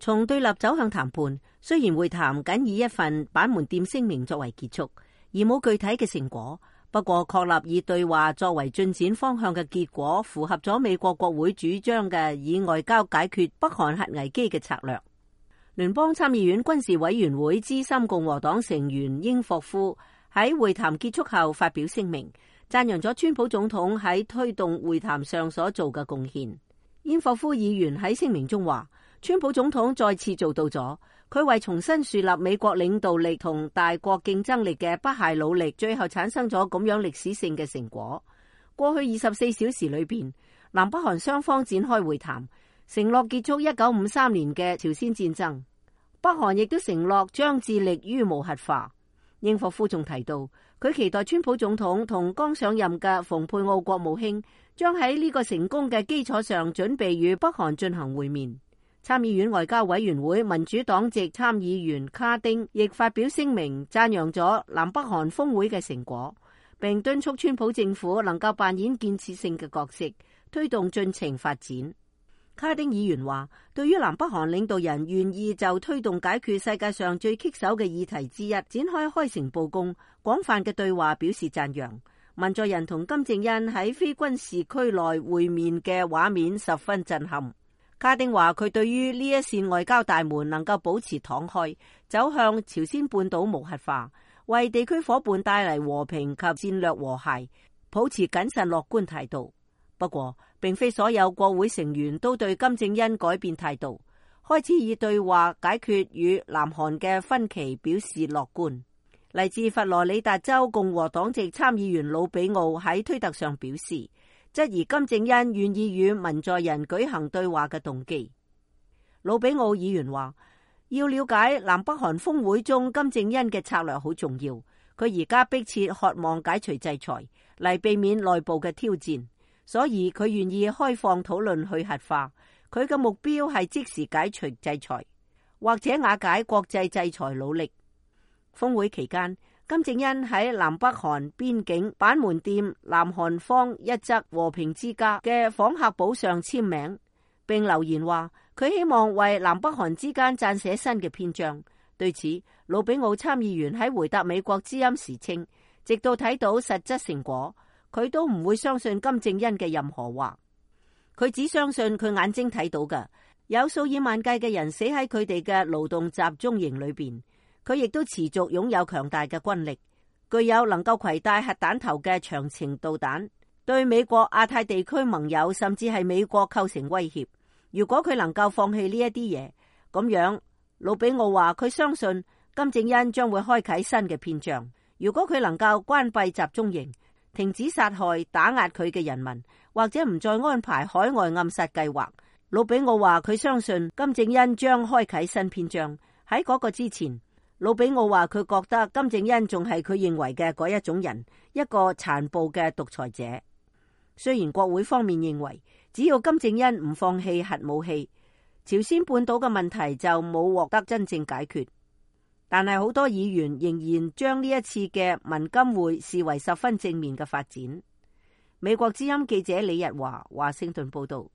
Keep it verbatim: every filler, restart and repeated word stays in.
從對立走向談判。雖然會談僅以一份板門店聲明作為結束，而冇具體嘅成果，不過確立以對話作為進展方向嘅結果，符合咗美國國會主張嘅以外交解決北韓核危機嘅策略。聯邦參議院軍事委員會資深共和黨成員英霍夫喺會談結束後發表聲明，讚揚咗川普總統喺推動會談上所做嘅貢獻。英霍夫議員喺聲明中話，川普總統再次做到咗佢為重新樹立美國領導力同大國競爭力嘅不懈努力，最後產生咗咁樣歷史性嘅成果。過去二十四小時裏邊，南北韓雙方展開會談，承諾結束一九五三年嘅朝鮮戰爭。北韓亦都承諾將致力於無核化。英霍夫仲提到，佢期待川普總統同剛上任嘅蓬佩奧國務卿將喺呢個成功嘅基礎上準備與北韓進行會面。參議院外交委員會民主黨籍參議員卡丁亦發表聲明，讚揚咗南北韓峰會嘅成果，並敦促川普政府能夠扮演建設性嘅角色，推動進程發展。卡丁議員話，對於南北韓領導人願意就推動解決世界上最棘手嘅議題之一展開開誠佈公、廣泛嘅對話表示讚揚。文在寅同金正恩喺非軍事區內會面嘅畫面十分震撼。卡丁話，佢對於呢一扇外交大門能夠保持敞開，走向朝鮮半島無核化，為地區夥伴帶嚟和平及戰略和諧，保持謹慎樂觀態度。不過，並非所有國會成員都對金正恩改變態度，開始以對話解決與南韓嘅分歧表示樂觀。嚟自佛羅里達州共和黨籍參議員魯比奧喺推特上表示，質疑金正恩願意與文在寅舉行對話嘅動機。魯比奧議員話，要了解南北韓峰會中金正恩嘅策略好重要，佢而家迫切渴望解除制裁，嚟避免內部嘅挑戰。所以佢願意開放討論去核化，佢嘅目標係即時解除制裁，或者瓦解國際制裁努力。峰會期間，金正恩喺南北韓邊境板門店南韓方一側和平之家嘅訪客簿上簽名，並留言話佢希望為南北韓之間撰寫新嘅篇章。對此，魯比奧參議員喺回答美國之音時稱，直到睇到實質成果，佢都唔會相信金正恩嘅任何話，佢只相信佢眼睛睇到嘅。有數以萬計嘅人死喺佢哋嘅勞動集中營裏邊，佢亦都持續擁有強大嘅軍力，具有能夠攜帶核彈頭嘅長程導彈，對美國亞太地區盟友甚至係美國構成威脅。如果佢能夠放棄呢一啲嘢，咁樣魯比奧話佢相信金正恩將會開啟新嘅篇章。如果佢能夠關閉集中營，停止殺害打壓佢嘅人民，或者唔再安排海外暗殺計劃，魯比奧話佢相信金正恩將開啟新篇章。喺嗰個之前，魯比奧話佢覺得金正恩仲係佢認為嘅嗰一種人，一個殘暴嘅獨裁者。雖然國會方面認為只要金正恩唔放棄核武器，朝鮮半島嘅問題就冇獲得真正解決，但係好多議員仍然將呢一次嘅文金會視為十分正面嘅發展。美國之音記者李日華華盛頓報道。